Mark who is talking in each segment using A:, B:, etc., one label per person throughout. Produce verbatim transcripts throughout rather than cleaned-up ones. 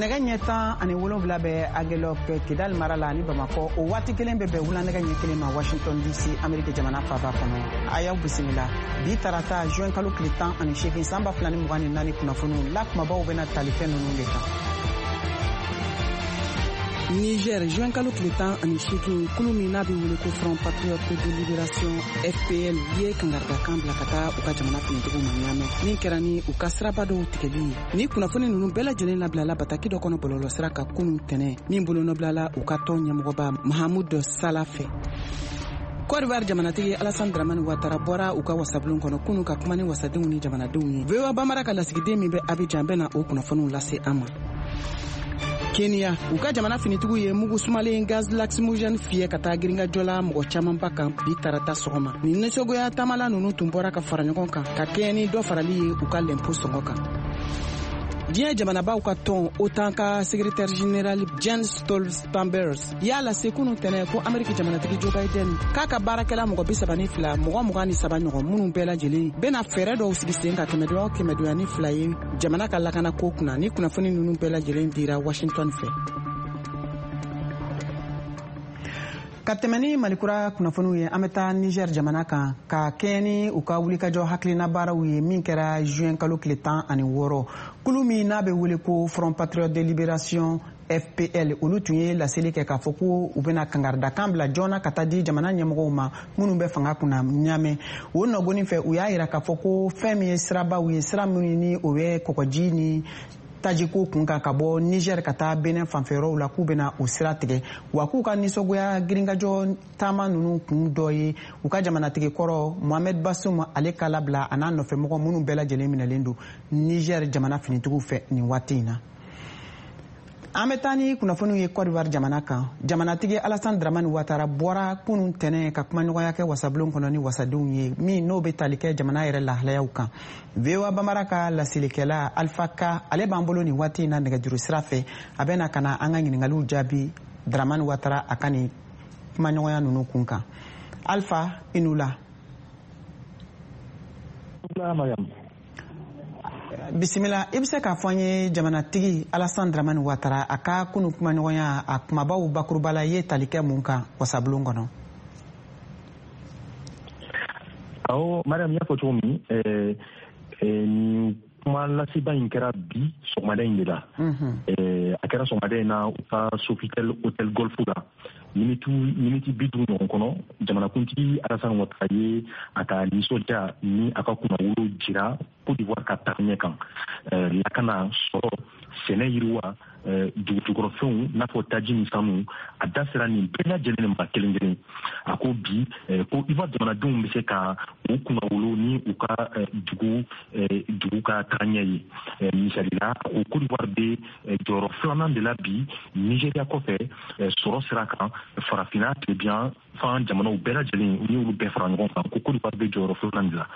A: Nɛgɛ ɲɛ tan ani wolonwula bɛ Agelok Kidal mara la ani Bamakɔ. O waati kelen bɛ bɛn wula nɛgɛ ɲɛ kelen ma Washington D C, Ameriki jamana faaba kɔnɔ. A y'aw bisimila bi tarata juin kalo tile tan ani seegin san ba fila ni mugan ni naani kunnafoniw la. Kumabaw bɛna tali fɛn ninnu de kan. Niger, juin kalo tile tan ani seegin, kulu min n'a bɛ wele ko Front Patriote de Libération, F P L, ye kangaridakan bila ka taa u ka jamana finitigiw ma Ɲamɛ, min kɛra ni u ka siraba dɔw tigɛli ye. Ni kunnafoni ninnu bɛɛ lajɛlen labilala bataki dɔ kɔnɔ bɔlɔlɔsira kan kunun tɛnɛ, min bolonɔbilala u ka tɔn ɲɛmɔgɔba Mahamud Sala fɛ. Côte d'Ivoire jamanatigi Alassane Dramane Ouattara bɔra u ka wasabulon kɔnɔ kunu ka kuma ni wasadenw ni jamanadenw ye. V O A Bambara ka lasigiden min bɛ Abidjan bɛna o kunnafoniw lase an ma. Kenya, u ka jamana finitigiw ye mugu sumalen gaz lacrymogène fiyɛ ka taa girinkajɔ la mɔgɔ camanba kan bi tarata sɔgɔma. Nin nisɔngoya taamala ninnu tun bɔra ka fara ɲɔgɔn kan ka kɛɲɛ ni dɔ farali ye u ka lɛnpo sɔngɔ kan. Diɲɛ jamanabaw ka tɔn OTAN ka secrétaire général Jens Stoltenberg y'a lase kunu tɛnɛ ko Ameriki jamanatigi Joe Biden k'a ka baarakɛla mɔgɔ bi saba ni fila, mɔgɔ mugan ni saba ɲɔgɔn minnu bɛɛ lajɛlen bɛna fɛɛrɛ dɔw sigi sen kan kɛmɛdonya o kɛmɛdonya ni fila ye jamana ka lakana ko kunna. Ni kunnafoni ninnu bɛɛ lajɛlen dira Washington fɛ. Ka tɛmɛ ni Malikura kunnafoniw ye, an bɛ taa Niger jamana kan ka kɛɲɛ ni u ka wulikajɔ hakilina baaraw ye min kɛra juin kalo tile tan ani wɔɔrɔ. Kulu min n'a bɛ wele ko Front Patriote de Libération, F P L, olu tun ye laseli kɛ k'a fɔ ko u bɛna kangaridakan bila joona ka taa di jamana ɲɛmɔgɔw ma minnu bɛ fanga kunna Ɲamɛ. O nɔgɔnin fɛ, u y'a yira k'a fɔ ko fɛn min ye sirabaw ye, sira minnu ni o bɛ kɔgɔji ni tajiko kun kan ka bɔ Niger ka taa Benin fanfɛyɔrɔw la, k'u bɛna o sira tigɛ. Wa k'u ka nisɔngoya girinkajɔ taama ninnu kun dɔ ye u ka jamanatigi kɔrɔ Mohamed Bazoum, ale ka labila, a n'a nɔfɛmɔgɔ minnu bɛɛ lajɛlen minɛlen don Niger jamana finitigiw fɛ nin waati in na. An bɛ taa ni kunnafoniw ye Côte d'Ivoire jamana kan. Jamanatigi Alassane Dramane Ouattara bɔra kunun tɛnɛ ka kumaɲɔgɔnya kɛ wasabulon kɔnɔ ni wasadenw ye, min n'o bɛ tali kɛ jamana yɛrɛ lahalayaw kan. V O A Bambara ka laselikɛla Alpha Ka, ale b'an bolo nin waati in na nɛgɛjuru sira fɛ. A bɛ na ka na an ka ɲininkaliw jaabi Dramane Ouattara a ka nin kumaɲɔgɔnya ninnu kun kan. Alpha, i n'u la.
B: Mariam.
A: Bisimila. I bɛ se k'a fɔ an ye, jamanatigi Alassane Dramane Ouattara a ka kunu kumaɲɔgɔnya, a kumabaw bakuruba la, i ye tali kɛ mun kan wasabulon kɔnɔ?
B: Awɔ Mariam, y'a fɔ cogo min, eh, eh, nin kuma laseba in kɛra bi sɔgɔmada in de la. eh, a kɛra sɔgɔmada in na u ka Sofitel Hotel Golf la. miniti miniti bi duuru ɲɔgɔn kɔnɔ, jamanakuntigi Alassane Ouattara ye a ka nisɔndiya ni a ka kunnawolo jira Côte d'Ivoire ka tagaɲɛ kan, lakana, sɔrɔ, sɛnɛ, yiriwa, dugujukɔrɔfɛnw n'a fɔ taji ni sanu. A da sera nin bɛɛ lajɛlen ma kelen kelen. A ko bi ko Ivoire jamanadenw bɛ se ka u kunnawolo ni u ka dugu dugu ka tagaɲɛ ye. Misali la, a ko Côte d'Ivoire bɛ jɔyɔrɔ filanan de la bi Nigéria kɔfɛ sɔrɔ sira kan farafinna tilebin fan jamanaw bɛɛ lajɛlen. N'i y'olu bɛɛ fara ɲɔgɔn kan, ko Côte d'Ivoire bɛ jɔyɔrɔ filanan de la.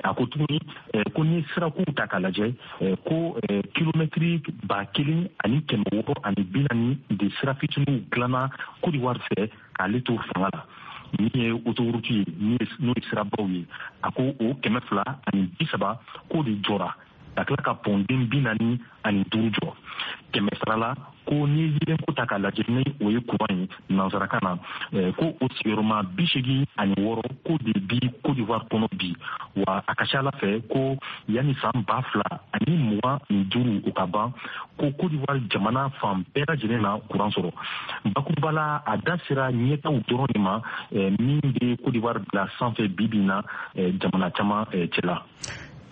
B: A ko tuguni ko n'i ye sirakow ta k'a lajɛ, ko kilomɛtiri ba kelen ani kɛmɛ wɔɔrɔ ani bi naani de sira fitininw dilanna Côte d'Ivoire fɛ k'ale to fanga la. Min ye autoroute ye, n'o ye sirabaw ye, a ko o kɛmɛ fila ani bi saba k'o de jɔra, ka tila ka pɔnden bi naani ani duuru jɔ. Kɛmɛ sara la, ko n'i ye yeelenko ta k'a lajɛ, ni o ye kuran ye nansarakan na, ko o sigiyɔrɔma bi seegin ani wɔɔrɔ k'o de bi Côte d'Ivoire kɔnɔ bi. Wa a ka ca ala fɛ ko yanni san ba fila ani mugan ni duuru o ka ban, ko Côte d'Ivoire jamana fan bɛɛ lajɛlen na kuran sɔrɔ. Bakuruba la, a da sera ɲɛtaw dɔrɔn de ma min bɛ Côte d'Ivoire bila sanfɛ bi bi in na jamana caman cɛla.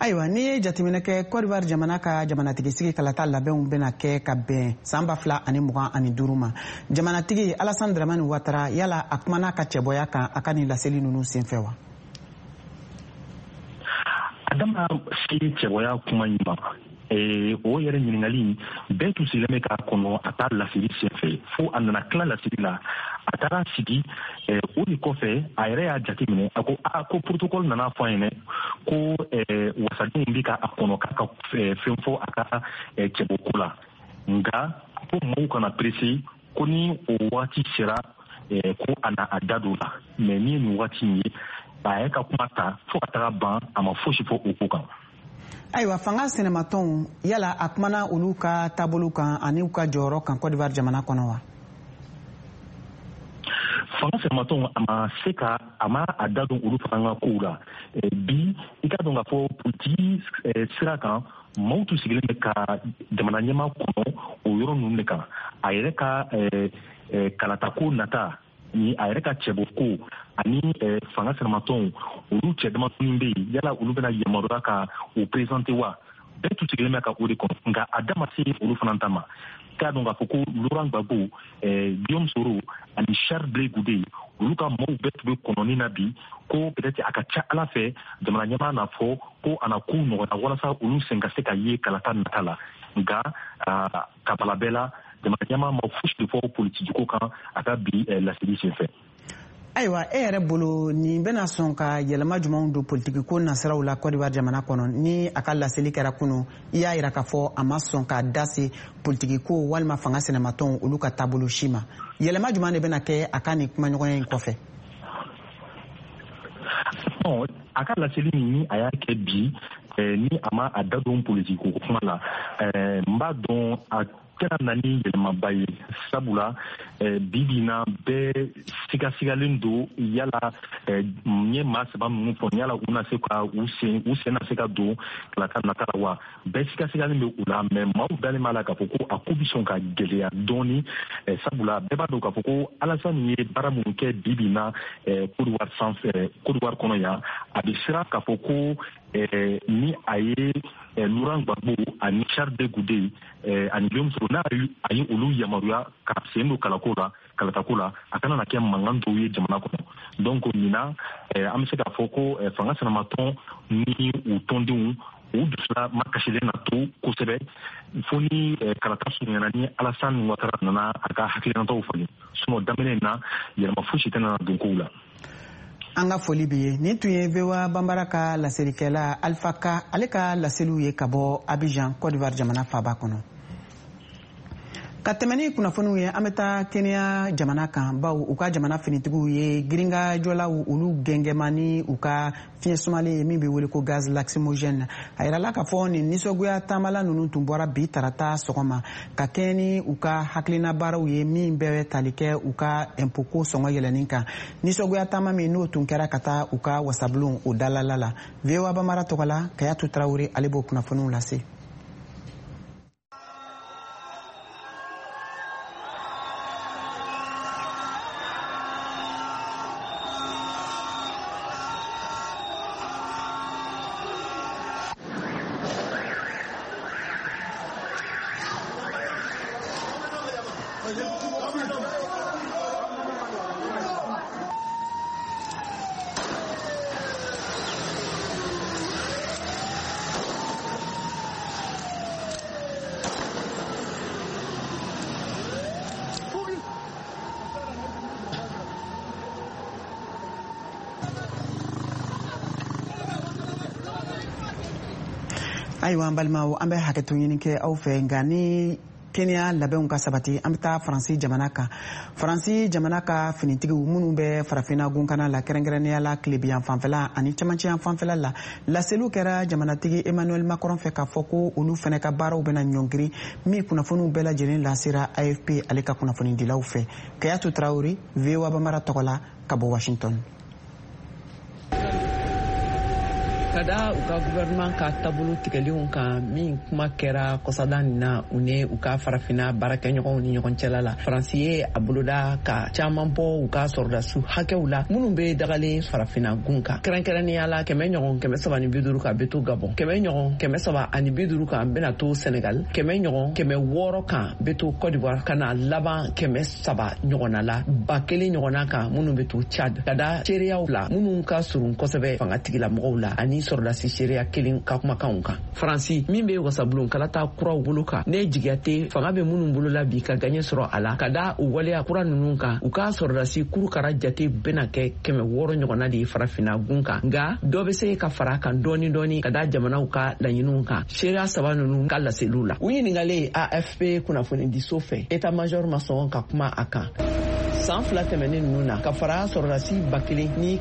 A: Ayiwa, n'i ye jateminɛ kɛ, Côte d'Ivoire jamana ka jamanatigisigi kalata labɛnw bɛna kɛ ka bɛn san ba fila ani mugan ani duuru ma. Jamanatigi Alassane Dramane Ouattara, yala a kumana ka cɛbɔya kan a ka nin laseli ninnu senfɛ wa?
B: A dama se cɛbɔya kuma in ma, o yɛrɛ ɲininkali bɛɛ tun sigilen bɛ k'a kɔnɔ a taa laseli senfɛ, fo a nana tila laseli la, a taara sigi. O de kɔfɛ, a yɛrɛ y'a jateminɛ, a ko a ko protocole nana fɔ a ɲɛna ko wasadenw bɛ ka a kɔnɔ k'a ka fɛn fɔ a ka cɛbɔko la, nka ko maaw kana pressé, ko ni o waati sera, ko a na a da don la. Mais ni ye nin waati in ye, a yɛrɛ ka kuma ta fo ka taga ban, a ma fosi fɔ o ko kan.
A: Ayiwa, fanga sinamatɔnw, yala a kumana olu ka taabolo kan ani u ka jɔyɔrɔ kan Côte d'Ivoire jamana kɔnɔ wa?
B: Fanga sinamatɔnw, a ma se ka a ma a da don olu fana ka kow la bi. I k'a dɔn k'a fɔ politiki sira kan, maaw tun sigilen bɛ ka jamana ɲɛmaa kɔnɔ o yɔrɔ ninnu de kan, a yɛrɛ ka kalatako nata ni a yɛrɛ ka cɛbɔ ko ani fanga sinamatɔnw, olu cɛ damadɔni bɛ yen, yala olu bɛna yamaruya ka o présenter wa? Bɛɛ tun sigilen bɛ ka o de kɔnɔ, nka a da ma se olu fana ta ma. K'a dɔn k'a fɔ ko Laurent Gbagbo, Guillaume Soro ani Charles Blé Goudé, olu ka maaw bɛɛ tun bɛ kɔnɔni na bi, ko peut-être a ka ca Ala fɛ jamana ɲɛmaa n'a fɔ ko a na kow nɔgɔya walasa olu sen ka se ka ye kalata nata la. Nka ka bala bɛɛ la, jamana ɲɛmaa ma fosi de fɔ politiki ko kan a ka bi laseli senfɛ.
A: Ayiwa, e yɛrɛ bolo, nin bɛna sɔn ka yɛlɛma jumɛnw don politiki ko nasiraw la Côte d'Ivoire jamana kɔnɔ ni a ka laseli kɛra kunu? I y'a yira k'a fɔ a ma sɔn k'a da se politiki ko walima fanga sinamatɔnw olu ka taabolo si ma. Yɛlɛma jumɛn de bɛna kɛ a ka nin kumaɲɔgɔnya in kɔfɛ?
B: A ka laseli min ni a y'a kɛ bi, ni a ma a da don politiki ko kuma la, n b'a dɔn a tɛna na ni yɛlɛmaba ye, sabula bi bi in na bɛɛ sigasigalen don, yala n ye maa saba minnu fɔ, yala u na se ka u sen u sen na se ka don kalata nata la wa? Bɛɛ sigasigalen bɛ u la, mɛ maaw dalen b'a la k'a fɔ ko a ko bɛ sɔn ka gɛlɛya dɔɔni, sabula bɛɛ b'a dɔn k'a fɔ ko Alassane ye baara minnu kɛ bi bi in na Côte d'Ivoire sanfɛ, Côte d'Ivoire kɔnɔ yan, a bɛ siran k'a fɔ ko ni a ye Laurent Gbagbo ani Charles Blé Goudé ani Guillaume Soro, n'a a ye olu yamaruya ka sen don kalako la kalatako la, a kana na kɛ mankan dɔw ye jamana kɔnɔ. Donc ɲinan, an bɛ se k'a fɔ ko fanga sinamatɔn ni u tɔndenw, u dusula makasilen na to kosɛbɛ fo ni kalata surunyana, ni Alassane Ouattara nana a ka hakilinataw falen. Sinon daminɛ in na, yɛlɛma fosi tɛna don kow la.
A: An ka foli bi ye. Nin tun ye V O A Banbara ka laselikɛla Alpha Ka, ale ka laseliw ye ka bɔ Abidjan, Côte d'Ivoire jamana faaba kɔnɔ. Ka tɛmɛ ni kunnafoniw ye, an bɛ taa Kenya jamana kan, baw u ka jamana finitigiw ye girinkajɔlaw olu gɛngɛma ni u ka fiɲɛ sumalen ye min bɛ wele ko gaz lacrymogène. A yirala k'a fɔ nin nisɔngoya taamala ninnu tun bɔra bi tarata sɔgɔma ka kɛɲɛ ni u ka hakilina baaraw ye min bɛ tali kɛ u ka impôt ko sɔngɔ yɛlɛnni kan. Nisɔngoya taama min n'o tun kɛra ka taa u ka wasabulon o dalala la. V O A Bamara tɔgɔ la, Kayatu Tarawele, ale b'o kunnafoniw lase. Ayiwa, an balimaw, an bɛ hakɛto ɲini kɛ aw fɛ, nka ni Kenya labɛnw ka sabati, an bɛ taa Faransi jamana kan. Faransi jamana ka finitigiw minnu bɛ Farafinna gunkana la, kɛrɛnkɛrɛnnenya la tilebiyan fanfɛla ani camancɛyan fanfɛla la, laseliw kɛra jamanatigi Emmanuel Macron fɛ k'a fɔ ko olu fɛnɛ ka baaraw bɛna ɲɔngiri, min kunnafoniw bɛɛ lajɛlen lasera A F P ale ka kunnafonidilaw fɛ. Kayatu Tarawele, V O A Bamara tɔgɔ la, ka bɔ Washington.
C: Ka da u ka gouvernement ka taabolo tigɛlenw kan min kuma kɛra kɔsada nin na u ni u ka Farafina baarakɛɲɔgɔnw ni ɲɔgɔn cɛla la, Faransi ye a boloda ka caaman bɔ u ka sɔrɔdasiw hakɛw la minnu be dagalen Farafina gun kan, kɛrɛnkɛrɛnnenya la kɛmɛ ɲɔgɔn kɛmɛ saba ni bi duuru kan be to Gabɔn, kɛmɛ ɲɔgɔn kɛmɛ saba ani bi duuru kan bena to Senegal, kɛmɛ ɲɔgɔn kɛmɛ wɔɔrɔ kan be to Cote d'Ivoire, ka na laban kɛmɛ saba ɲɔgɔnna la, ba kelen ɲɔgɔnna kan minnu be to Chad, ka da seereyaw la minnu ka surun kosɛbɛ fanga tigilamɔgɔw la ani sɔrɔdasi seereya kelen ka kumakanw kan. Faransi min be wasabulon kalata kuraw bolo kan, ne jigiya tɛ fanga be minnu bolola bi ka gaɲɛ sɔrɔ a la, ka da u waleya kura nunu kan, u ka sɔrɔdasi kurukara jate bena kɛ kɛmɛ wɔɔrɔ ɲɔgɔnna de ye Farafina gun kan, nga dɔ be se ka fara kan dɔɔni dɔɔni ka da jamanaw ka laɲiniw kan. Seereya saba nunu ka laseliw la, u ɲiningalen A F P kunnafonidiso fɛ, état major ma sɔn ka kuma a kan. San fila tɛmɛnen nunu na, ka fara sɔrɔdasi ba kelen ni